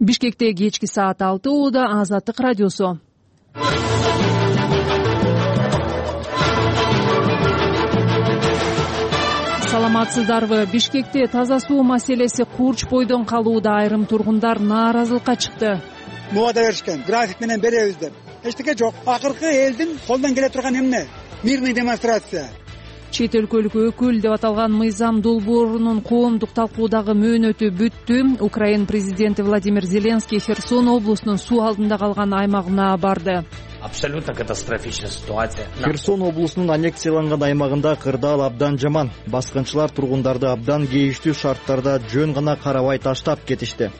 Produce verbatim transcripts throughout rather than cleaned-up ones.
Бишкекте кечки саат алты ууда Азаттык радиосу. Саламатсыздарбы? Бишкекте таза суу маселеси курч бойдон калууда. Айрым тургундар нааразылыкка чыкты. Мубада беришкен, график менен беребиз деп. Эчтеке жок. Акыркы элдин колдон келе турган эмне? Мирный демонстрация. Чет өлкөлүк өкүл деп аталган Мыйзам долбоорунун коомдук талкуудагы мөөнөтү бүттү. Украина президенти Владимир Зеленский Херсон облусунун суу алдында калган аймагына барды. Абсолютно катастрофичная ситуация. Херсон облусунун аннексияланган аймагында кырдаал абдан жаман. Баскынчылар тургундарды абдан кейиштүү шарттарда жөн гана карабай таштап кетишти.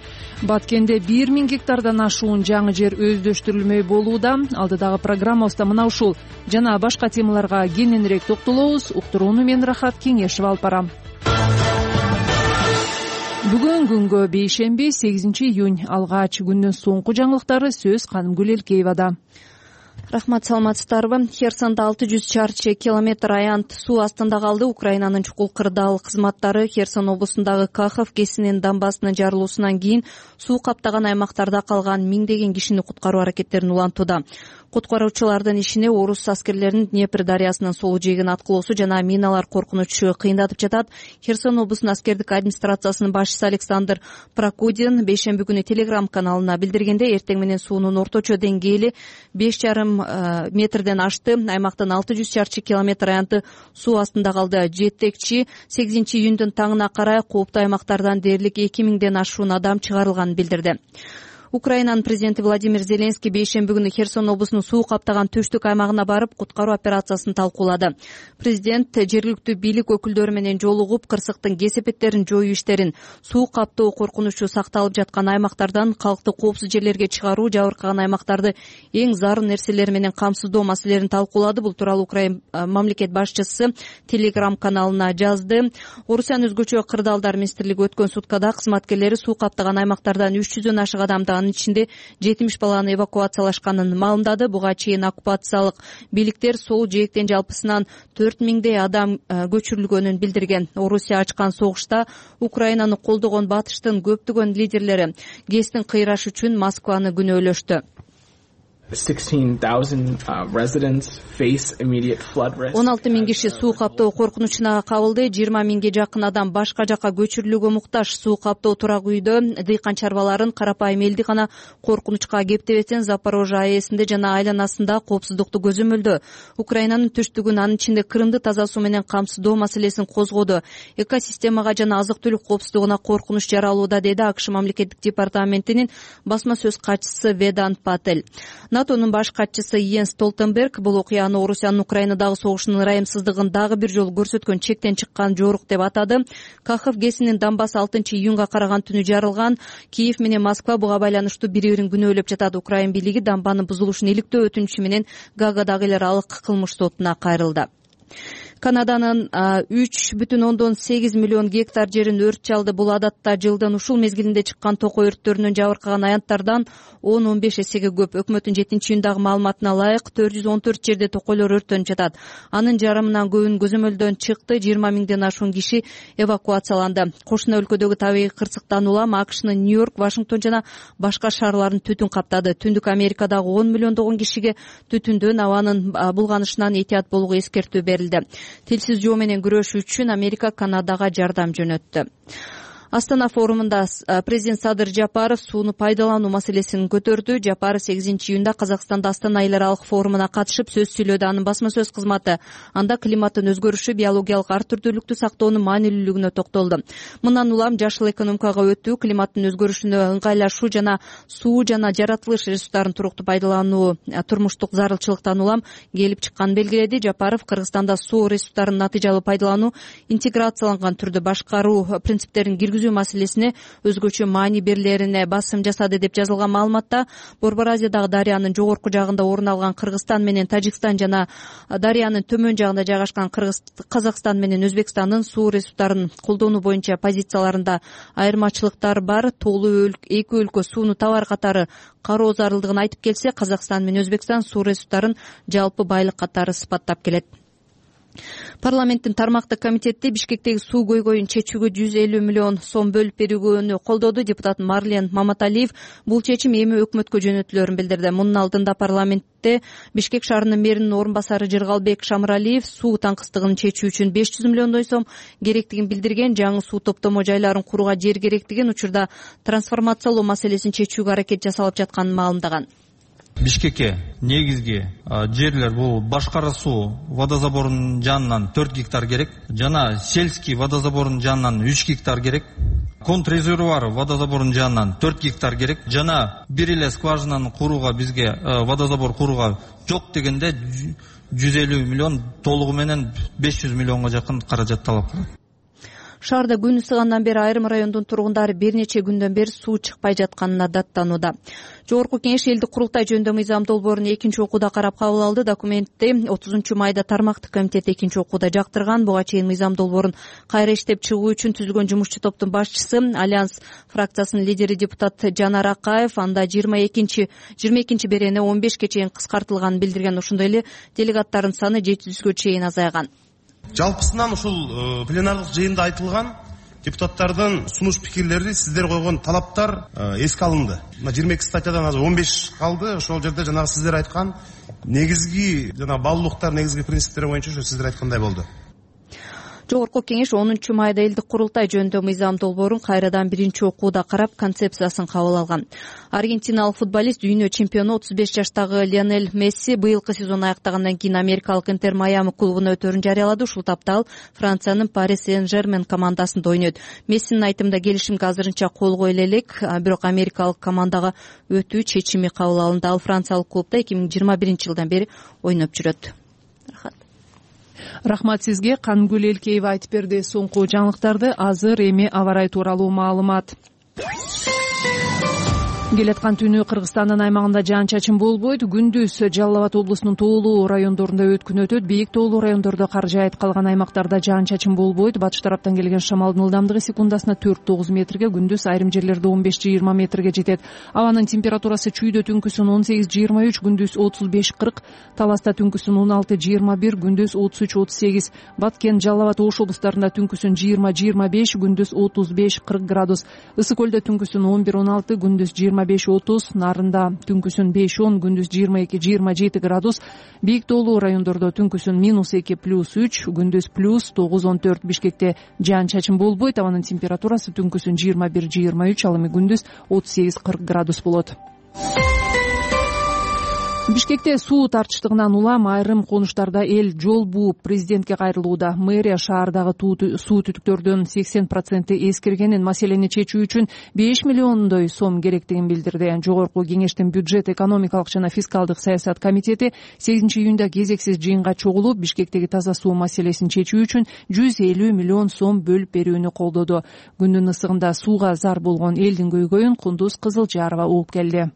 Баткенде бир миң гектардан ашуун жаңы жер өздөштүрүлмөй болууда. Алдыдагы программабызда мына ушул жана башка темаларга кененирээк токтолобуз. Уктурууну мен Рахат Кеңешева алып барам. Бүгүн күнгө бейшемби сегизинчи июнь. Алгач күндүн соңку жаңылыктары сөз Канымгүл Элкеевада. Рахмат, саламатсыздарбы? Херсонда алты жүз чарчы километр аянт суу астында калды. Украинанын чукул кырдаал кызматтары Херсон облусундагы Кахов кесинин дамбасынын жарылуусунан кийин суу каптаган аймактарда калган миңдеген кишини куткаруу аракеттерин улантууда. Куткаруучулардын ишине орус аскерлеринин Днепр дарыясынын сол жээгин аткылоосу жана миналар коркунучу кыйындатып жатат. Херсон облусунун аскердик администрациясынын башчысы Александр Прокудин бейшемби күнү Телеграм каналына билдиргенде, эртең менен суунун орточо деңгээли беш жарым метрден ашты. Аймактын алты жүз чарчы километр аянты суу астында калды. Жетекчи сегизинчи июндүн таңына карай кооптуу аймактардан дээрлик эки миңден ашуун адам чыгарылганын билдирди. Украинанын президенти Владимир Зеленский бейшемби күнү Херсон облусунун суу каптаган түштүк аймагына барып, куткаруу операциясын талкуулады. Президент жергиликтүү бийлик өкүлдөрү менен жолугуп, кырсыктын кесепеттерин жоюу иштерин, суу каптоо коркунучу сакталып жаткан аймактардан калкты коопсуз жерлерге чыгаруу, жабыркаган аймактарды эң зарыл нерселер менен камсыздоо маселелерин талкуулады. Бул тууралуу Украина мамлекет башчысы Телеграм каналына жазды. Орусиянын өзгөчө кырдаалдар министрлиги өткөн суткада кызматкерлери суу каптаган аймактардан үч жүздөн ашык адамды, ичинде жетимиш баланы эвакуациялашканын маалымдады. Буга чейин оккупациялык бийликтер сол жээктен жалпысынан төрт миңдей адам көчүрүлгөнүн билдирген. Орусия ачкан согушта Украинаны колдогон батыштын көптөгөн лидерлери ГЭСтин кыйрашы үчүн Москваны күнөөлөштү. он алты миң киши суу каптоо коркунучуна кабылды. жыйырма миңге жакын адам башка жакка көчүрүлүүгө муктаж. Суу каптоо турак үйдө дыйкан чарбаларын, карапайым элди гана коркунучка кептебесин. Запорожье АЭСинде жана айланасында коопсуздукту көзөмөлдөө. Украинанын түштүгүн, анын ичинде Крымды таза суу менен камсыздоо маселесин козгоду. Экосистемага жана азык-түлүк коопсуздугуна коркунуч жаралууда, деди АКШ мамлекеттик департаментинин басма сөз катчысы Ведант Патель. НАТОнун баш катчысы Йенс Столтенберг бул окуяны Орусиянын Украинадагы согушунун ырайымсыздыгын дагы бир жолу көрсөткөн чектен чыккан жорук деп атады. Кахов ГЭСинин дамбасы алтынчы июнга караган түнү жарылган. Киев менен Москва буга байланыштуу бири-бирин күнөөлөп жатат. Украин бийлиги дамбанын бузулушун иликтөө өтүнүчү менен Гаагадагы эл аралык кылмыш сотуна кайрылды. Канаданын үч бүтүн ондон сегиз миллион гектар жерин өрт чалды. Бул адатта жылдын ушул мезгилинде чыккан токой өрттөрүнөн жабыркаган аянттардан он он беш эсеге көп. Өкмөттүн жетинчи июндагы маалыматына ылайык төрт жүз он төрт жерде токойлор өрттөнүп жатат. Анын жарымынан көбүн көзөмөлдөн чыкты. жыйырма миңден ашуун киши эвакуацияланды. Кошуна өлкөдөгү табигый кырсыктан улам АКШнын Нью-Йорк, Вашингтон жана башка шаарларын түтүн каптады. Түндүк Америкадагы он миллиондогон кишиге түтүндөн, абанын булганышынан этият болууга эскертүү берилди. Телсиз жоо менен күрөшүү үчүн Америка Канадага жардам жөнөттү. Астана форумунда президент Садыр Жапаров сууну пайдалануу маселесин көтөрдү. Жапаров сегизинчи июнда Казакстанда Астана эл аралык форумуна катышып сөз сүйлөдү. Анын басма сөз кызматы анда климаттын өзгөрүшү, биологиялык ар түрдүүлүктү сактоонун маанилүүлүгүнө токтолду. Мындан улам жашыл экономикага өтүү, климаттын өзгөрүшүнө ыңгайлашуу жана суу жана жаратылыш ресурстарын туруктуу пайдалануу турмуштук зарылчылыктан улам келип чыкканын белгиледи. Жапаров Кыргызстанда суу ресурстарын натыйжалуу пайдалануу, интеграцияланган түрдө башкаруу принциптерин киргизүү маселесине өзгөчө маани берилерине басым жасады деп жазылган маалыматта. Борбор Азиядагы дарыянын жогорку жагында орун алган Кыргызстан менен Тажикстан жана дарыянын төмөн жагында жайгашкан Казакстан менен Өзбекстандын суу ресурстарын колдонуу боюнча позицияларында айырмачылыктар бар. Толуу эки өлкө сууну товар катары кароо зарылдыгын айтып келсе, Казакстан менен Өзбекстан суу ресурстарын жалпы байлык катары сыпаттап келет. Парламенттин тармактык комитети Бишкектеги суу көйгөйүн чечүүгө жүз элүү миллион сом бөлүп берүүнү колдоду. Депутат Марлен Маматалиев бул чечим эми өкмөткө жөнөтүлөрүн билдирди. Мунун алдында парламентте Бишкек шаарынын мэринин орун басары Жыргалбек Шамыралиев суу таңкыстыгын чечүү үчүн беш жүз миллиондой сом керектигин билдирген. Жаңы суу топтомо жайларын курууга жер керектигин, учурда трансформациялоо маселесин чечүүгө аракет жасалып жатканын маалымдаган. Бишкекке негизги жерлер бул Башкара суу водозаборунун жанынан төрт гектар керек, жана сельский водозаборунун жанынан үч гектар керек, контррезервуар водозаборунун жанынан төрт гектар керек, жана бир эле скважинаны курууга бизге водозабор курууга жок дегенде жүз элүү миллион, толугу менен беш жүз миллионго жакын каражат талап кылат. Шаарда күн ысыгандан бери айрым райондун тургундары бир нече күндөн бери суу чыкпай жатканына даттанууда. Жогорку Кеңеш элдик курултай жөнүндө мыйзам долбоорун экинчи окууда карап кабыл алды. Документти отузунчу майда тармактык комитет экинчи окууда жактырган. Буга чейин мыйзам долбоорун кайра иштеп чыгуу үчүн түзүлгөн жумушчу топтун башчысы, Альянс фракциясынын лидери депутат Жанар Акаев анда жыйырма экинчи жыйырма экинчи берени он бешке чейин кыскартылганын билдирген. Ошондой эле делегаттардын саны жети жүзгө чейин азайган. Жалпысынан ушул пленарлык жыйында айтылган депутаттардын сунуш пикирлери, сиздер койгон талаптар эске алынды. жыйырма эки статьядан азыр он беш калды. Ошол жерде жанагы сиздер айткан негизги жана баалуулуктар, негизги принциптер боюнча ошо сиздер айткандай болду. Жогорку Кеңеш онунчу майда элдик курултай жөнүндө мыйзам долбоорун кайрадан биринчи окууда карап, концепциясын кабыл алган. Аргентиналык футболист, дүйнө чемпиону отуз беш жаштагы Лионель Месси быйылкы сезон аяктагандан кийин америкалык Интер Майами клубуна өтөрүн жарыялады. Ушул тапта ал Франциянын Пари Сен-Жермен командасында ойнойт. Мессинин айтымында келишимге азырынча кол коюла элек, бирок америкалык командага өтүү чечими кабыл алынды. Ал франциялык клубда эки миң жыйырма биринчи жылдан бери ойноп жүрөт. Рахат. Рахмат сизге. Кангүл Элкеева айтып берди соңку жаңылыктарды. Азыр эми аба ырайы тууралуу маалымат. Келаткан түнү Кыргызстандын аймагында жаан-чачын болбойт. Күндүз Жалал Абад облусунун тоолуу райондорунда өткүн өтөт. Бийик тоолуу райондордо кар жаайт, калган аймактарда жаан-чачын болбойт. Батыш тараптан келген шамалдын ылдамдыгы секундасына төрт тогуз метрге, күндүз айрым жерлерде он беш жыйырма метрге жетет. Абанын температурасы чүйдө түнкүсүн он сегиз жыйырма үч, күндүз отуз беш кырк, Таласта түнкүсүн он алты жыйырма бир, күндүз отуз үч отуз сегиз, Баткен, Жалал Абад, Ош облустарында түнкүсүн жыйырма жыйырма беш, күндүз отуз беш кырк градус. Ысык көлдө түнкүсүн он бир он алты, күндүз жыйырма беш отуз, Нарында түнкүсүн беш он, күндүз жыйырма эки жыйырма жети градус. Бийик тоолуу райондордо түнкүсүн минус эки плюс үч, күндүз плюс тогуз он төрт. Бишкекте жаан-чачын болбойт. Абанын температурасы түнкүсүн жыйырма бир жыйырма үч, ал эми күндүз отуз сегиз кырк градус болот. Бишкекте суу тартыштыгынан улам айрым конуштарда эл жол бууп президентке кайрылууда. Мэрия шаардагы суу түтүктөрдүн сексен проценти эскиргенин, маселени чечүү үчүн беш миллиондой сом керектигин билдирди. Жогорку Кеңештин бюджет, экономикалык жана фискалдык саясат комитети сегизинчи июнда кезексиз жыйынга чогулуп, Бишкектеги таза суу маселесин чечүү үчүн жүз элүү миллион сом бөлүп берүүнү колдоду. Күндүн ысыгында сууга зар болгон элдин көйгөйүн Кундуз Кызылжарова угуп келди.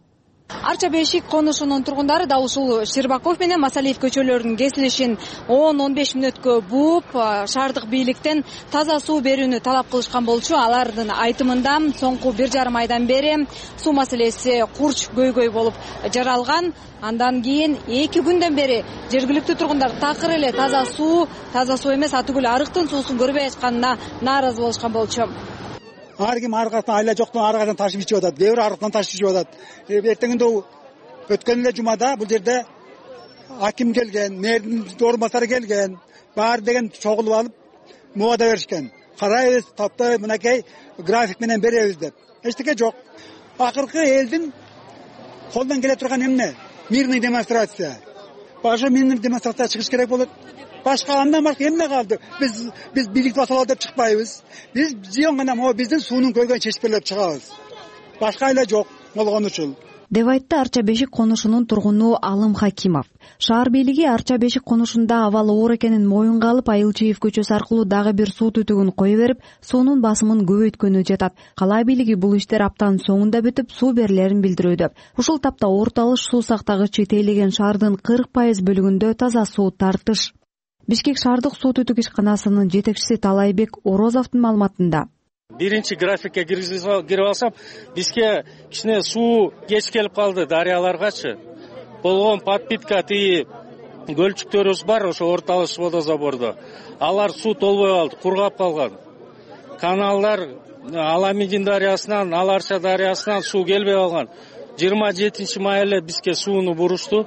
Арча Бешик конушунун тургундары да ушул Ширбаков менен Масалиев көчөлөрүнүн кесилишин он он беш мүнөткө бууп, шаардык бийликтен таза суу берүүнү талап кылышкан болчу. Алардын айтымында соңку бир жарым айдан бери суу маселеси курч көйгөй болуп жаралган. Андан кийин эки күндөн бери жергиликтүү тургундар такыр эле таза суу, таза суу эмес, атүгүл арыктын суусун көрбөй атканына нааразы болушкан болчу. Ар ким аркадан айла жоктон аркадан ташып ичип атат, кээ бир арыктан ташып ичип атат. Эртеңинде өткөн эле жумада бул жерде аким келген, мэрдин орун басары келген, баары деген чогулуп алып мубада беришкен. Карайбыз, таптай мынакей график менен беребиз деп. Эчтеке жок. Акыркы элдин колдон келе турган эмне? Мирный демонстрация. Башка мирный демонстрация чыгыш керек болот. Башка андан башка эмне калды? Биз биз бийликти басалы деп чыкпайбыз. Биз жион гана могу биздин суунун көйгөйүн чечип берип чыгабыз. Башка эле жок болгон үчүн. деп айтты Арча Бешик конушунун тургуну Алым Хакимов. Шаар бийлиги Арча Бешик конушунда абал оор экенин моюнга алып, Айылчиев көчөсү аркылуу дагы бир суу түтүгүн кое берип, суунун басымын көбөйткөнү жатат. Кала бийлиги бул иштер аптанын соңунда бүтүп, суу берилерин билдирүүдө. Ушул тапта Орто Алыш суу сактагычы тейлеген шаардын кырк пайыз бөлүгүндө таза суу тартыш. Бишкек шаардык суу түтүк ишканасынын жетекчиси Талайбек Орозовдун маалыматында биринчи графикке кирип алсам, бизге кичине суу кеч келип калды дарыяларгачы. Болгон подпитка тиги көлчүктөрүбүз бар ошо орталыш водозабордо. Алар суу толбой калды, кургап калган. Каналдар Аламидин дарыясынан, Аларча дарыясынан суу келбей калган. жыйырма жетинчи май эле бизге сууну бурушту.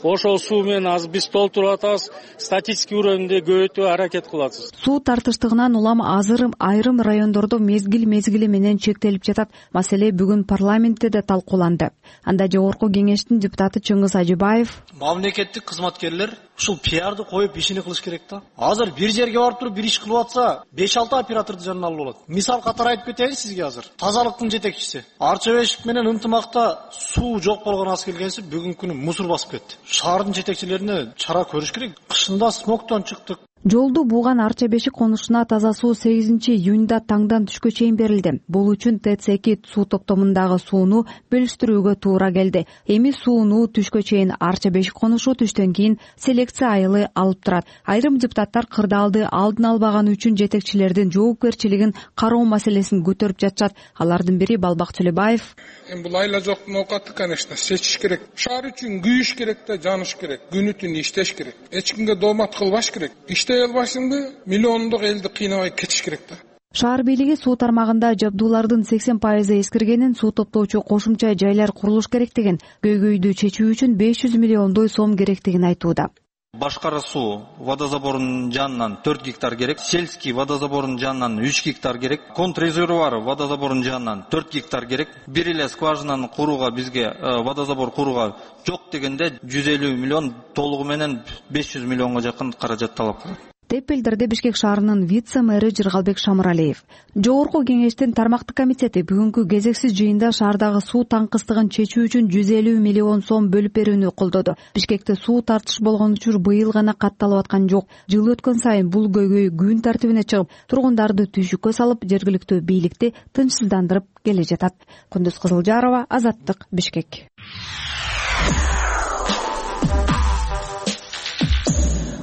Ошол суу менен азыр биз толтуруп атабыз, статистика уровенде көбөйтүүгө аракет кылабыз. Суу тартыштыгынан улам азыр айрым райондордо мезгил мезгили менен чектелип жатат. Маселе бүгүн парламентте да талкууланды. Анда жогорку кеңештин депутаты Чыңгыз Ажыбаев: мамлекеттик кызматкерлер ушул пиарды коюп ишини кылыш керек да. Азыр бир жерге барып туруп бир иш кылып атса, беш алты операторду жанына алып болот. Мисал катары айтып кетейин сизге азыр. Тазалыктын жетекчиси Арча бешик менен ынтымакта суу жок болгон аз келгенси бүгүнкү күнү мусор басып кетти. Шаардын жетекчилерине чара көрүш керек. Кышында смогтон чыктык. Жолду бууган Арча бешик конушуна таза суу сегизинчи июнда таңдан түшкө чейин берилди. Бул үчүн ТЭЦ эки суу топтомундагы сууну бөлүштүрүүгө туура келди. Эми сууну түшкө чейин Арча бешик конушу түштөн кийин селекция айылы алып турат. Айрым депутаттар кырдаалды алдын албаганы үчүн жетекчилердин жоопкерчилигин кароо маселесин көтөрүп жатышат. Алардын бири Балбак Төлөбаев: эми бул айла жоктун оокаты, конечно, сечиш керек. Шаар үчүн күйүш керек да, жаныш керек. Күнү түнү иштеш керек. Эч кимге доомат кылбаш керек. Иштей албашыңды миллиондук элди кыйнабай кетиш керек да. Шаар бийлиги суу тармагында жабдуулардын сексен пайызы эскиргенин, суу топтоочу кошумча жайлар курулуш керектигин, көйгөйдү чечүү үчүн беш жүз миллиондой сом керектигин айтууда. Башкара суу водозаборунун жанынан төрт гектар керек, сельский водозаборунун жанынан үч гектар керек, контррезервуар водозаборунун жанынан төрт гектар керек. Бир эле скважинаны курууга бизге водозабор курууга жок дегенде жүз элүү миллион, толугу менен беш жүз миллионго жакын каражат талап кылат деп билдирди Бишкек шаарынын вице-мэри Жыргалбек Шамыралиев. Жогорку кеңештин тармактык комитети бүгүнкү кезексиз жыйында шаардагы суу таңкыстыгын чечүү үчүн жүз элүү миллион сом бөлүп берүүнү колдоду. Бишкекте суу тартыш болгон учур быйыл гана катталып аткан жок. Жыл өткөн сайын бул көйгөй күн тартибине чыгып, тургундарды түйшүккө салып, жергиликтүү бийликти тынчсыздандырып келе жатат. Күндүз Кызылжарова, Азаттык, Бишкек.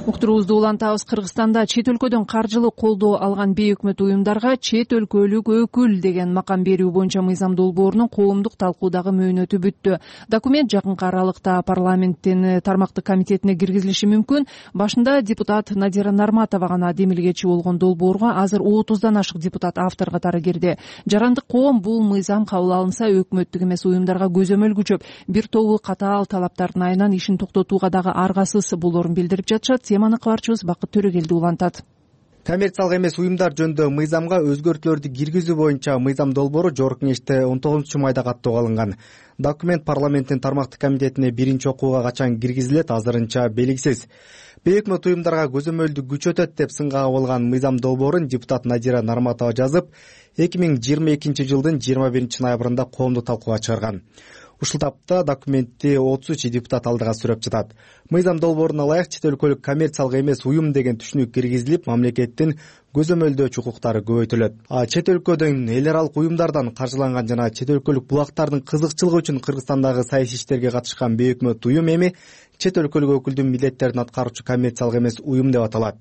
Уктуруубузду улантабыз. Кыргызстанда чет өлкөдөн каржылык колдоо алган бейөкмөт уюмдарга чет өлкөлүк өкүл деген макам берүү боюнча мыйзам долбоорунун коомдук талкуудагы мөөнөтү бүттү. Документ жакынкы аралыкта парламенттин тармактык комитетине киргизилиши мүмкүн. Башында депутат Надира Нарматова гана демилгечи болгон долбоорго азыр отуздан ашык депутат автор катары кирди. Жарандык коом бул мыйзам кабыл алынса өкмөттүк эмес уюмдарга көзөмөл күчөп, бир тобу катаал талаптардын айынан ишин токтотууга дагы аргасыз болоорун билдирип жатышат. Теманы кабарчыбыз Бакыт Төрөгелди улантат. Коммерциялык эмес уюмдар жөнүндө мыйзамга өзгөртүүлөрдү киргизүү боюнча мыйзам долбоору жогорку кеңеште он тогузунчу майда каттоого алынган. Документ парламенттин тармактык комитетине биринчи окууга качан киргизилет, азырынча белгисиз. Бейөкмөт уюмдарга көзөмөлдү күчөтөт деп сынга кабылган мыйзам долбоорун депутат Надира Нарматова жазып, эки миң жыйырма экинчи жылдын жыйырма биринчи ноябрында коомдук талкууга чыгарган. Ушул тапта документти отуз үч депутат алдыга сүрөп жатат. Мыйзам долбооруна ылайык чет өлкөлүк коммерциялык эмес уюм деген түшүнүк киргизилип, мамлекеттин көзөмөлдөөчү укуктары көбөйтүлөт. А чет өлкөдөн эл аралык уюмдардан каржыланган жана чет өлкөлүк булактардын кызыкчылыгы үчүн Кыргызстандагы саясий иштерге катышкан бейөкмөт уюм эми чет өлкөлүк өкүлдүн милдеттерин аткаруучу коммерциялык эмес уюм деп аталат.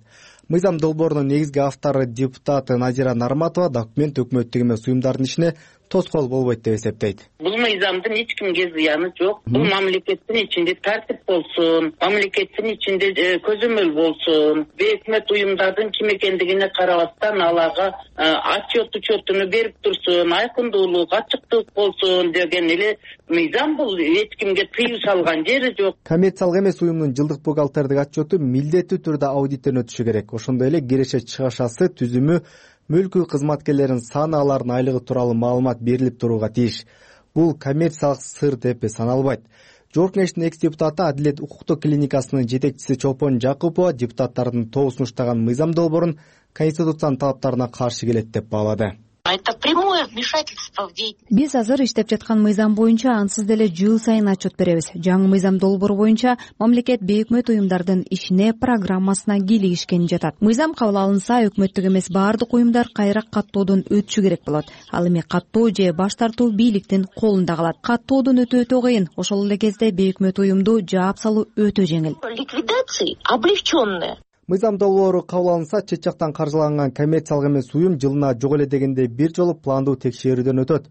Мыйзам долбоорунун негизги автору депутат Надира Нарматова документ өкмөттүк эмес уюмдардын ишине тоскоол болбойт деп эсептейт. Бул мыйзамдын эч кимге зыяны жок. Бул мамлекеттин ичинде тартип болсун, мамлекеттин ичинде көзөмөл болсун, бейөкмөт уюмдардын ким экендигине карабастан аларга отчет учетуну берип турсун, айкындуулук, ачыктык болсун деген эле мыйзам. Бул эч кимге тыюу салган жери жок. Коммерциялык эмес уюмдун жылдык бухгалтердик отчету милдеттүү түрдө аудиттен өтүшү керек. Ошондой эле киреше чыгашасы, түзүмү, мүлкү кызматкерлеринин саны, алардын айлыгы тууралуу маалымат берилип турууга тийиш. Бул коммерциялык сыр деп саналбайт. Жогорку кеңештин экс депутаты Адилет укуктук клиникасынын жетекчиси Чолпон Жакупова депутаттардын тобу сунуштаган мыйзам долбоорун конституциянын талаптарына каршы келет деп баалады. Это прямое вмешательство в деятельность. Биз азыр иштеп жаткан мыйзам боюнча ансыз деле жыл сайын отчет беребиз. Жаңы мыйзам долбоору боюнча мамлекет бейөкмөт уюмдардын ишине, программасына кийлигишкен жатат. Мыйзам кабыл алынса, өкмөттүк эмес баардык уюмдар кайра каттоодон өтүшү керек болот. Ал эми каттоо же баш тартуу бийликтин колунда калат. Каттоодон өтүү өтө кыйын. Ошол эле кезде бейөкмөт уюмду жаап салуу өтө жеңил. Ликвидации облегченная. Мыйзам долбоору кабыл алынса, чет жактан каржыланган коммерциялык эмес уюм жылына жок эле дегенде бир жолу пландуу текшерүүдөн өтөт.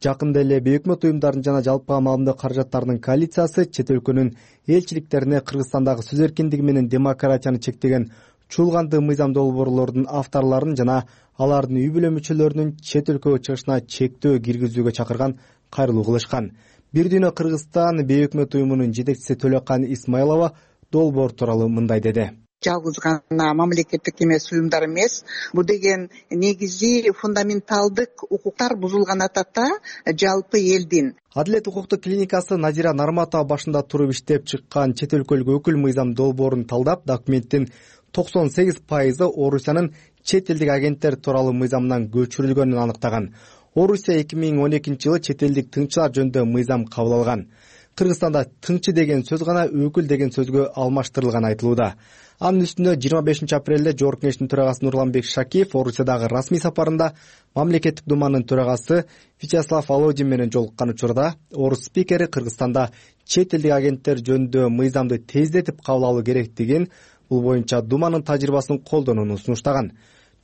Жакында эле бейөкмөт уюмдардын жана жалпы маалымдоо каражаттарынын коалициясы чет өлкөнүн элчиликтерине Кыргызстандагы сөз эркиндиги менен демократияны чектеген чуулганды мыйзам долбоорлордун авторлорун жана алардын үй бүлө мүчөлөрүнүн чет өлкөгө чыгышына чектөө киргизүүгө чакырган кайрылуу кылышкан. Бир дүйнө Кыргызстан бейөкмөт уюмунун жетекчиси Төлөкан Исмайлова долбоор тууралуу мындай деди. Жалгыз гана мамлекеттик эмес уюмдар эмес, бул деген негизи фундаменталдык укуктар бузулган атата жалпы элдин. Адилет укуктук клиникасы Назира Нарматова башында туруп иштеп чыккан чет өлкөлүк өкүл мыйзам долбоорун талдап, документтин токсон сегиз пайызы Орусиянын чет элдик агенттер тууралуу мыйзамынан көчүрүлгөнүн аныктаган. Орусия эки миң он экинчи жылы чет элдик тыңчылар жөнүндө мыйзам кабыл алган. Кыргызстанда тыңчы деген сөз гана өкүл деген сөзгө алмаштырылган айтылууда. Анын үстүнө жыйырма бешинчи апрелде Жогорку Кеңештин төрагасы Нурланбек Шакиев Орусиядагы расмий сапарында мамлекеттик думанын төрагасы Вячеслав Володин менен жолуккан учурда орус спикери Кыргызстанда чет элдик агенттер жөнүндө мыйзамды тездетип кабыл алуу керектигин, бул боюнча думанын тажрыйбасын колдонууну сунуштаган.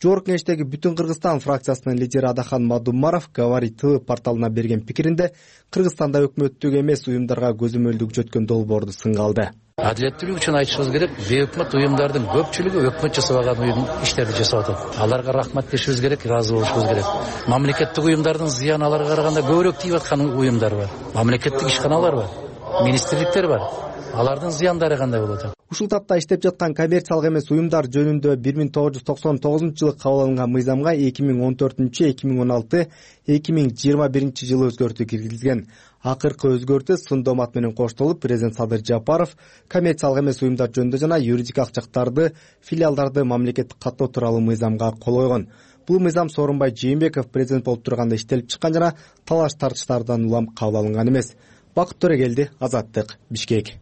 Жогорку Кеңештеги Бүтүн Кыргызстан фракциясынын лидери Адахан Мадумаров Говорит ТВ порталына берген пикиринде Кыргызстанда өкмөттүк эмес уюмдарга көзөмөлдүк жөткөн долбоорду сынга алды. Адилеттүүлүк үчүн айтышыбыз керек, бейөкмөт уюмдардын көпчүлүгү өкмөт жасабаган уюм иштерди жасап атат. Аларга рахмат дешибиз керек, ыраазы болушубуз керек. Мамлекеттик уюмдардын зыяны аларга караганда көбүрөөк тийип аткан уюмдар бар. Мамлекеттик ишканалар бар, министрликтер бар. Алардын зыяндары кандай болот? Ушул тапта иштеп жаткан коммерциялык эмес уюмдар жөнүндө бир миң тогуз жүз токсон тогузунчу жылы кабыл алынган мыйзамга эки миң он төртүнчү, эки миң он алты, эки миң жыйырма биринчи жылы өзгөртүү киргизилген. Акыркы өзгөртүү сын доомат менен коштолуп, президент Садыр Жапаров коммерциялык эмес уюмдар жөнүндө жана юридикалык жактарды, филиалдарды мамлекеттик каттоо тууралуу мыйзамга кол койгон. Бул мыйзам Сооронбай Жээнбеков президент болуп турганда иштелип чыккан жана талаш тартыштардан улам кабыл алынган эмес. Бакыт Төрөгелди, Азаттык, Бишкек.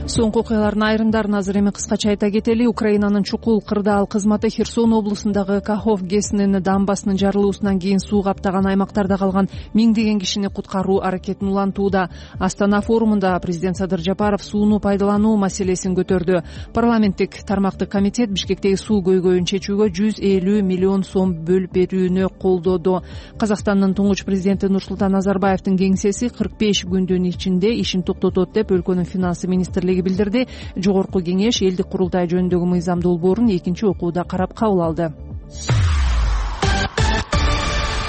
Соңку окуялардын айрымдарын азыр эми кыскача айта кетели. Украинанын чукул кырдаал кызматы Херсон облусундагы Кахов ГЭСинин дамбасынын жарылуусунан кийин суу каптаган аймактарда калган миңдеген кишини куткаруу аракетин улантууда. Астана форумунда президент Садыр Жапаров сууну пайдалануу маселесин көтөрдү. Парламенттик тармактык комитет Бишкектеги суу көйгөйүн чечүүгө жүз элүү миллион сом бөлүп берүүнү колдоду. Казакстандын туңгуч президенти Нурсултан Назарбаевдин кеңсеси кырк беш күндүн ичинде ишин токтотот деп өлкөнүн финансы министрлиги билдирди. Жогорку кеңеш элдик курултай жөнүндөгү мыйзам долбоорун экинчи окууда карап кабыл алды.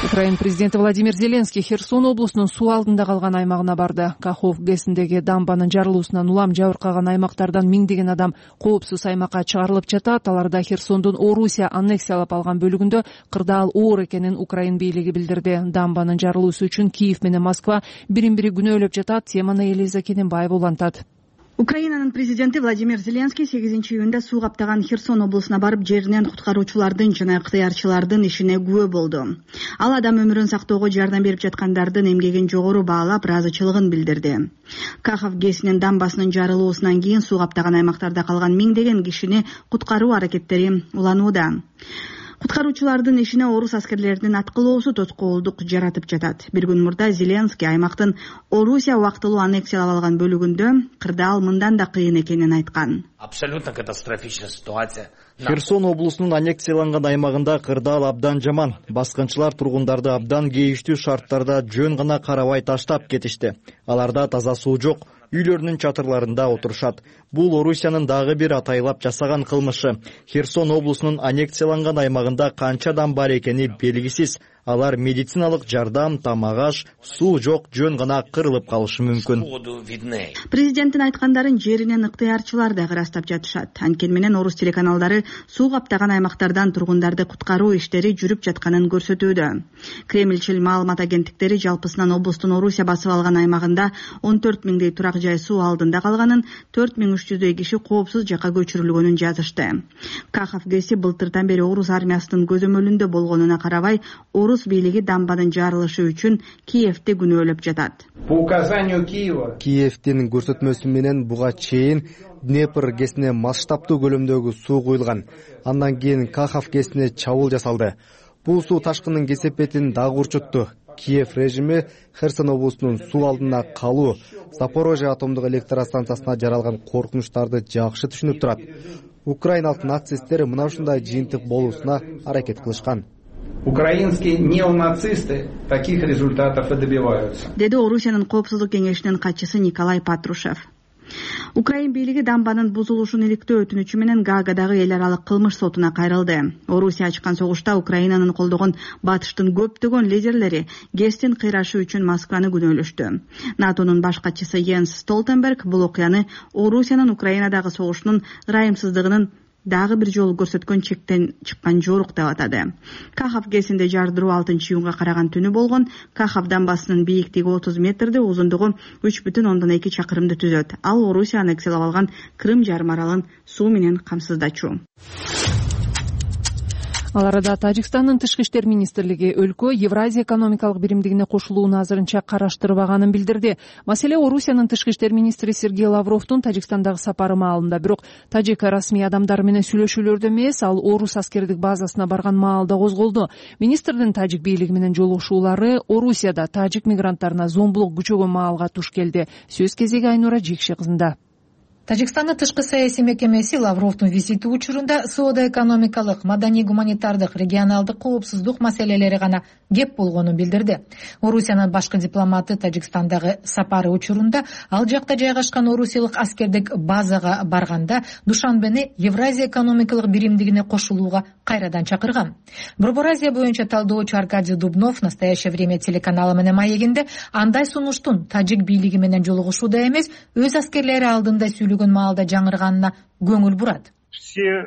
Украина президенти Владимир Зеленский Херсон облусунун суу алдында калган аймагына барды. Кахов ГЭСиндеги дамбанын жарылуусунан улам жабыркаган аймактардан миңдеген адам коопсуз аймакка чыгарылып жатат. Аларда Херсондун Орусия аннексиялап алган бөлүгүндө кырдаал оор экенин Украина бийлиги билдирди. Дамбанын жарылуусу үчүн Киев менен Москва бирин бири күнөөлөп жатат. Теманы Элиза Кененбаева улантат. Украинанын президенти Владимир Зеленский сегизинчи июнда суу каптаган Херсон облусуна барып, жеринен куткаруучулардын жана ыктыярчылардын ишине күбө болду. Ал адам өмүрүн сактоого жардам берип жаткандардын эмгегин жогору баалап, ыраазычылыгын билдирди. Кахов ГЭСинин дамбасынын жарылуусунан кийин суу каптаган аймактарда калган миңдеген кишини куткаруу аракеттери уланууда. Куткаруучулардын ишине орус аскерлеринин аткылоосу тоскоолдук жаратып жатат. Бир күн мурда Зеленский аймактын Орусия убактылуу аннексиялап алган бөлүгүндө кырдаал мындан да кыйын экенин айткан. Абсолютно катастрофичная ситуация. Херсон облусунун аннексияланган аймагында кырдаал абдан жаман. Баскынчылар тургундарды абдан кейиштүү шарттарда жөн гана карабай таштап кетишти. Аларда таза суу жок. Үйлөрүнүн чатырларында отурушат. Бул Орусиянын дагы бир атайлап жасаган кылмышы. Херсон облусунун аннексияланган аймагында канча адам бар экени белгисиз. Алар медициналык жардам, тамак аш, суу жок, жөн гана кырылып калышы мүмкүн. Президенттин айткандарын жеринен ыктыярчылар да ырастап жатышат. Анткени менен орус телеканалдары суу каптаган аймактардан тургундарды куткаруу иштери жүрүп жатканын көрсөтүүдө. Кремльчил маалымат агенттиктери жалпысынан облустун Орусия басып алган аймагында он төрт миңдей турак жай суу алдында калганын, төрт миң үч жүздөй киши коопсуз жакка көчүрүлгөнүн жазышты. Кахов ГЭСи былтырдан бери орус армиясынын көзөмөлүндө болгонуна карабай, орус бийлиги дамбанын жарылышы үчүн Киевти күнөөлөп жатат. По указанию Киева Киевтин көрсөтмөсү менен буга чейин Днепр ГЭСине масштабтуу көлөмдөгү суу куюлган. Андан кийин Кахов ГЭСине чабуул жасалды. Бул суу ташкындын кесепетин дагы урчутту. Киев режими Херсон облусунун суу алдына калуу, Запорожье атомдук электростанциясына жаралган коркунучтарды жакшы түшүнүп турат. Украиналык нацисттер мына ушундай жыйынтык болуусуна аракет кылышкан. Украинские неонацисты таких результатов и добиваются. Деди Орусиянын коопсуздук кеңешинин катчысы Николай Патрушев. Украин бийлиги дамбанын бузулушун иликтөө өтүнүчү менен Гаагадагы эл аралык кылмыш сотуна кайрылды. Орусия ачкан согушта Украинанын колдогон батыштын көптөгөн лидерлери ГЭСтин кыйрашы үчүн Москваны күнөөлөштү. НАТОнун баш катчысы Йенс Столтенберг бул окуяны Орусиянын Украинадагы согушунун ырайымсыздыгынын дагы бир жолу көрсөткөн чектен чыккан жорук деп атады. Кахов ГЭСинде жардыруу алтынчы июнга караган түнү болгон. Кахов дамбасынын бийиктиги отуз метрди, узундугу үч бүтүн ондон эки чакырымды түзөт. Ал Орусия аннексиялап алган Крым жарым аралын суу менен камсыздачу. Ал арада Тажикстандын тышкы иштер министрлиги өлкө Евразия экономикалык биримдигине кошулууну азырынча караштырбаганын билдирди. Маселе Орусиянын тышкы иштер министри Сергей Лавровдун Тажикстандагы сапары маалында. Бирок тажик расмий адамдары менен сүйлөшүүлөрдө эмес, ал Орус аскердик базасына барган маалда козголду. Министрдин тажик бийлиги менен жолугушуулары Орусияда тажик мигранттарына зомбулук күчөгөн маалга туш келди. Сөз кезеги Айнура Жекше кызында. Тажикстандын тышкы саясий мекемеси Лавровдун визити учурунда соода-экономикалык, маданий-гуманитардык, регионалдык коопсуздук маселелери гана кеп болгонун билдирди. Орусиянын башкы дипломаты Тажикстандагы сапары учурунда ал жакта жайгашкан орусиялык аскердик базага барганда Душанбени Евразия экономикалык биримдигине кошулууга кайрадан чакырган. Борбор Азия боюнча талдоочу Аркадий Дубнов «Настоящее время» телеканалы менен маегинде андай сунуштун тажик бийлиги менен жолугушууда эмес, өз аскерлери алдында сүйлөгөн маалда жаңырганына көңүл бурат. Все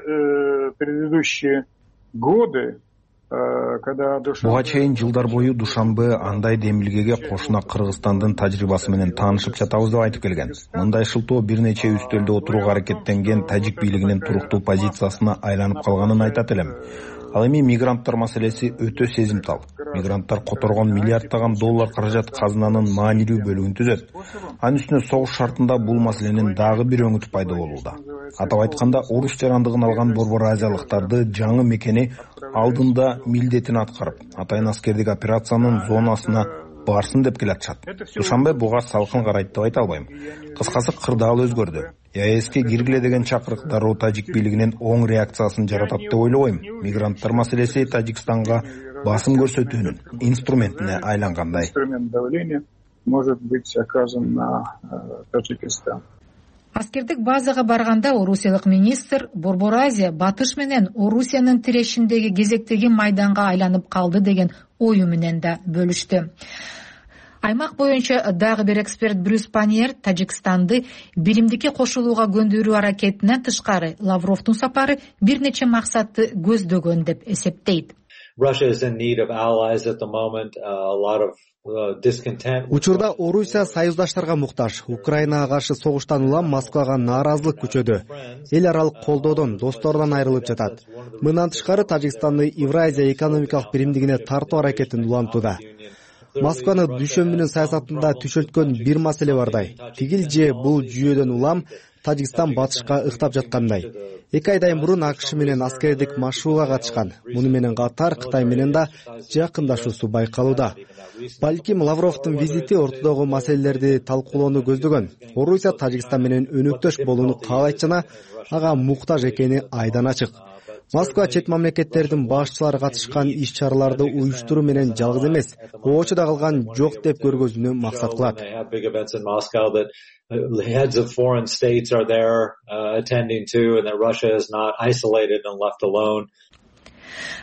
предыдущие годы Буга чейин жылдар бою Душанбе андай демилгеге кошуна Кыргызстандын тажрыйбасы менен таанышып жатабыз деп айтып келген. Мындай шылтоо бир нече үстөлдө отурууга аракеттенген тажик бийлигинин туруктуу позициясына айланып калганын айтат элем. Ал эми мигранттар маселеси өтө сезимтал. Мигранттар которгон миллиарддаган доллар каражат казынанын маанилүү бөлүгүн түзөт. Анын үстүнө согуш шартында бул маселенин дагы бир өңүтү пайда болууда. Атап айтканда, Орус жарандыгын алган борбор азиялыктарды жаңы мекени алдында милдетин аткарып, атайын аскердик операциянын зонасына барсын деп келатышат. Душанбе буга салкын карайт деп айта албайм. Кыскасы кырдаал өзгөрдү. ЕАЭСке киргиле деген чакырык дароо тажик бийлигинин оң реакциясын жаратат деп ойлобойм. Мигранттар маселеси Тажикстанга басым көрсөтүүнүн инструментине айлангандай. Инструмент давления может быть оказан на Таджикистан. Аскердик базага барганда орусиялык министр Борбор Азия батыш менен Орусиянын тирешиндеги кезектеги майданга айланып калды деген ою менен да бөлүштү. Аймак боюнча дагы бир эксперт Брюс Паньер Тажикстанды биримдикке кошулууга көндүрүү аракетинен тышкары Лавровдун сапары бир нече максатты көздөгөн деп эсептейт. Учурда Орусия союздаштарга муктаж. Украинага каршы согуштан улам Москвага нааразылык күчөдү. Эл аралык колдоодон, достордон айрылып жатат. Мындан тышкары Тажикстанды Евразия экономикалык биримдигине тартуу аракетин улантууда. Москваны дүйшөмбүнүн саясатында түшөлткөн бир маселе бардай. Тигил же бул жүйөдөн улам Тажикстан батышка ыктап жаткандай. Эки айдан мурун АКШ менен аскердик машууга катышкан. Муну менен катар Кытай менен да жакындашуусу байкалууда. Балким Лавровдун визити ортодогу маселелерди талкуулоону көздөгөн. Орусия Тажикстан менен өнөктөш болууну каалайт жана ага муктаж экени айдан ачык. Москва чет мамлекеттердин башчылары катышкан иш-чараларды уюштуруу менен жалгыз эмес, оочуда калган жок деп көргөзүүнү максат кылат. Heads of foreign states are there uh, attending to, and that Russia is not isolated and left alone.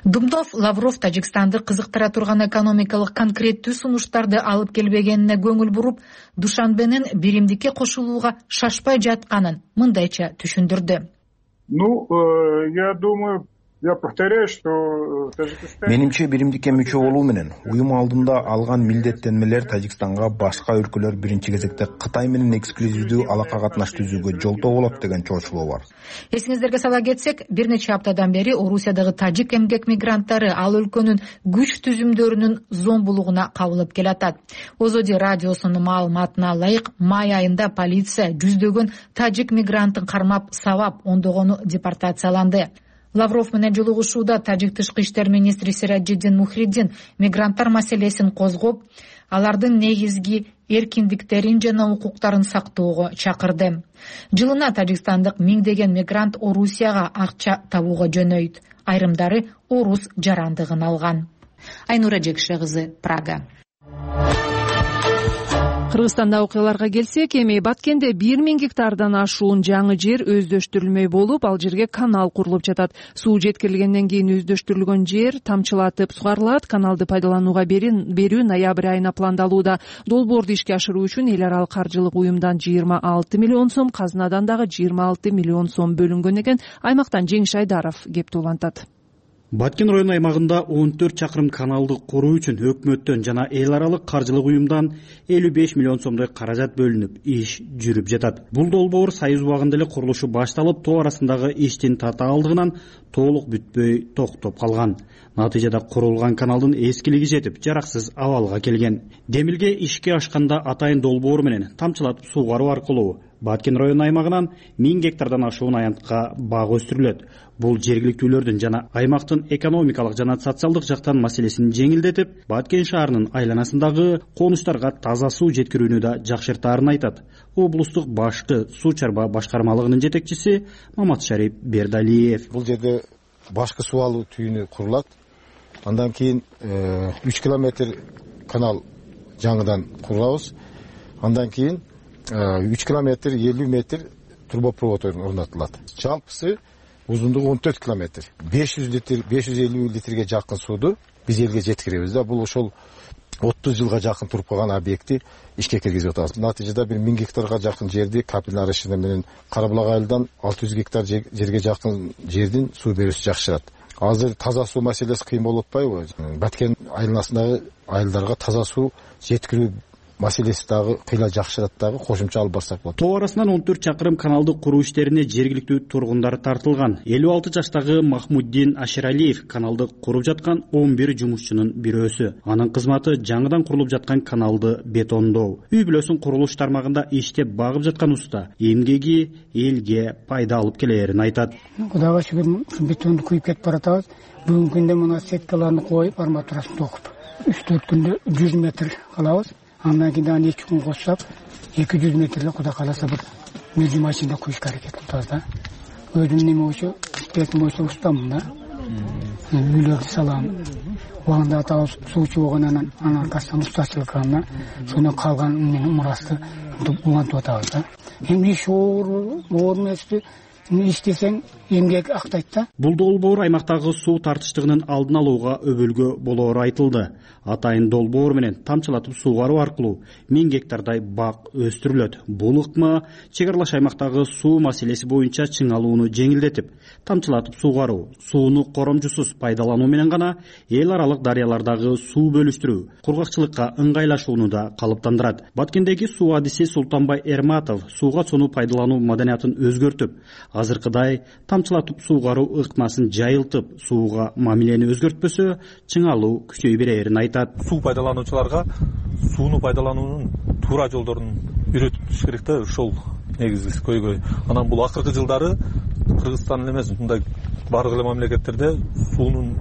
Думдов Лавров Тажикстанды кызыктыра турган экономикалык конкреттүү сунуштарды алып келбегенине көңүл буруп, Душанбенин биримдикке кошулууга шашпай жатканын мындайча түшүндүрдү. Ну, я думаю, я повторяю, что Тажикстан... Менимче биримдикке мүчө болуу менен уюм алдында алган милдеттенмелер Тажикстанга башка өлкөлөр биринчи кезекте Кытай менен эксклюзивдүү алака катнаш түзүүгө жолтоо болот деген чоочулоо бар. Эсиңиздерге сала кетсек, бир нече аптадан бери Орусиядагы тажик эмгек мигранттары ал өлкөнүн күч түзүмдөрүнүн зомбулугуна кабылып келатат. Озоди радиосунун маалыматына ылайык, май айында полиция жүздөгөн тажик мигранттын кармап сабап, ондогону депортацияланды. Лавров менен жолугушууда тажик тышкы иштер министри Сираджиддин Мухриддин мигранттар маселесин козгоп, алардын негизги эркиндиктерин жана укуктарын сактоого чакырды. Жылына тажикстандык миңдеген мигрант Орусияга акча табууга жөнөйт. Айрымдары орус жарандыгын алган. Айнура Жекше кызы, Прага. Кыргызстанда окуяларга келсек, эми Баткенде бир миң гектардан ашуун жаңы жер өздөштүрүлмөй болуп, ал жерге канал курулуп жатат. Суу жеткирилгенден кийин өздөштүрүлгөн жер тамчылатып сугарылат. Каналды пайдаланууга берүү ноябрь айына пландалууда. Долбоорду ишке ашыруу үчүн эл аралык каржылык уюмдан жыйырма алты миллион сом, казынадан дагы жыйырма алты миллион сом бөлүнгөн экен. Аймактан Жеңиш Айдаров кеп улантат. Баткен району аймагында он төрт чакырым каналды куруу үчүн өкмөттөн жана эл аралык каржылык уюмдан элүү беш миллион сомдой каражат бөлүнүп, иш жүрүп жатат. Бул долбоор союз убагында эле курулушу башталып, тоо арасындагы иштин тата алдыгынан толук бүтпөй токтоп калган. Натыйжада курулган каналдын эскилиги жетип, жараксыз абалга келген. Демилге ишке ашканда атайын долбоор менен тамчылатып суугаруу аркылуу Баткен району аймагынан миң гектардан ашуун аянтка бак өстүрүлөт. Бул жергиликтүүлөрдүн жана аймактын экономикалык жана социалдык жактан маселесин жеңилдетип, Баткен шаарынын айланасындагы конуштарга таза суу жеткирүүнү да жакшыртаарын айтат. Облустук башкы суу чарба башкармалыгынын жетекчиси Маматшарип Бердалиев. Бул жерде башкы суу алуу түйүнү курулат. Андан кийин үч километр канал жаңыдан курабыз. Андан кийин үч километр элүү метр трубопровод орнотулат. Жалпысы узундугу он төрт километр. беш жүз литр, беш жүз элүү литрге жакын сууду биз элге жеткиребиз да. Бул ошол отуз жылга жакын туруп калган объектти ишке киргизип атабыз. Натыйжада бир миң гектарга жакын жерди капилляр ишине менен Карабулак айылдан алты жүз гектар жерге жакын жердин суу берүүсү жакшырат. Азыр таза суу маселеси кыйын болуп атпайбы? Баткен айланасындагы айылдарга таза суу жеткирүү маселеси дагы кыйла жакшырат дагы, кошумча алып барсак болот. Тоо арасынан он төрт чакырым каналды куруу иштерине жергиликтүү тургундар тартылган. элүү алты жаштагы Махмуддин Аширалиев каналды куруп жаткан он бир жумушчунун бирөөсү. Анын кызматы жаңыдан курулуп жаткан каналды бетондоо. Үй бүлөсүн курулуш тармагында иштеп багып жаткан уста эмгеги элге пайда алып келерин айтат. Кудайга шүгүр, бетонду куюп кетип баратабыз. Бүгүнкү күндө мына сеткаларды коюп, арматурасын токуп, үч төрт күндө жүз метр калабыз. Андан кийин аны эки күн кошсак, эки жүз метрле Кудай кааласа бир мези машинада куюшка аракет кылабыз да. Өзүм неме болчу, бетим болчу устамын да. Үйлөрдү салам. Убагында атабыз суучу болгонунан анын аркасынан устачылык кылам да. Шуну калган менин мурасты улантып атабыз да. Эми иш оор, оор эмеспи? Иштесең эмгек актайт да. Бул долбоор аймактагы суу тартыштыгынын алдын алууга өбөлгө болоору айтылды. Атайын долбоор менен тамчылатып суугаруу аркылуу миң гектардай бак өстүрүлөт. Бул ыкма чек аралаш аймактагы суу маселеси боюнча чыңалууну жеңилдетип, тамчылатып суугаруу, сууну коромчусуз пайдалануу менен гана эл аралык дарыялардагы суу бөлүштүрүү, кургакчылыкка ыңгайлашууну да калыптандырат. Баткендеги суу адиси Султанбай Эрматов сууга сууну пайдалануу маданиятын өзгөртүп, азыркыдай тамчылатып суугаруу ыкмасын жайылтып, сууга мамилени өзгөртпөсө, чыңалуу күчөй берерин айтат. Суу пайдалануучуларга сууну пайдалануунун туура жолдорун үйрөтүш керек да, ошол негизги көйгөй. Анан бул акыркы жылдары Кыргызстан эле эмес, мындай бардык эле мамлекеттерде суунун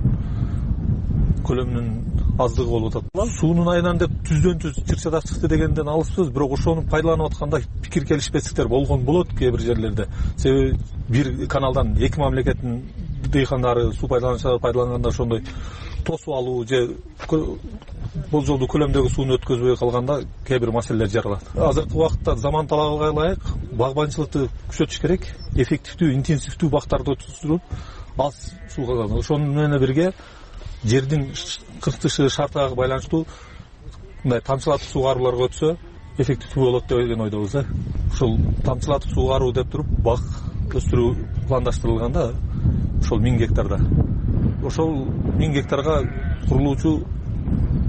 көлөмүнүн аздыгы болуп атат. Суунун айынан деп түздөн түз чыр-чатак чыкты дегенден алыспыз, бирок ошону пайдаланып атканда пикир келишпестиктер болгон болот кээ бир жерлерде. Себеби бир каналдан эки мамлекеттин дыйкандары, суу пайдалануучулары пайдаланганда ошондой тосуп алуу же болжолдуу көлөмдөгү сууну өткөзбөй калганда кээ бир маселелер жаралат. Азыркы убакытта заман талабыга ылайык багбанчылыкты күчөтүш керек, эффективдүү, интенсивдүү бактарды өткөрүп, аз суу калган. Ошону менен бирге жердин кыртышы шартына байланыштуу мындай тамчылатып суугарууларга өтсө эффективдүү болот деген ойдобуз да. Ошол тамчылатып суугаруу деп туруп бак өстүрүү пландаштырылганда ошол миң гектарда. Ошол миң гектарга курулуучу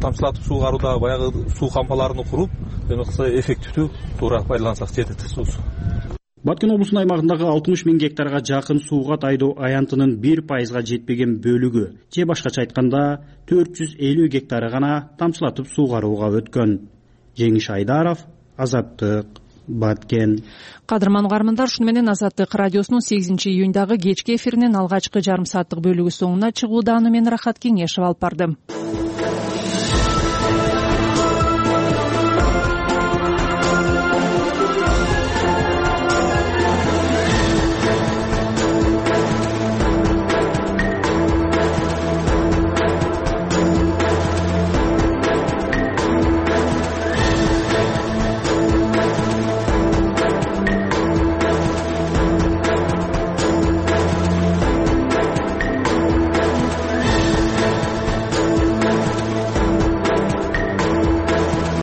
тамчылатып суугарууда баягы суу кампаларын куруп, эме кылса эффективдүү туура пайдалансак жетет суусу. Баткен облусунун аймагындагы алтымыш миң гектарга жакын сууга тайдоо аянтынын бир пайызга жетпеген бөлүгү, же башкача айтканда төрт жүз элүү гектары гана тамчылатып суугарууга өткөн. Жеңиш Айдаров, Азаттык, Баткен. Кадырман угармандар, ушуну менен Азаттык радиосунун сегизинчи июндагы кечки эфиринин алгачкы жарым сааттык бөлүгү соңуна чыгууда. Аны мен Рахат Кеңешев алып бардым.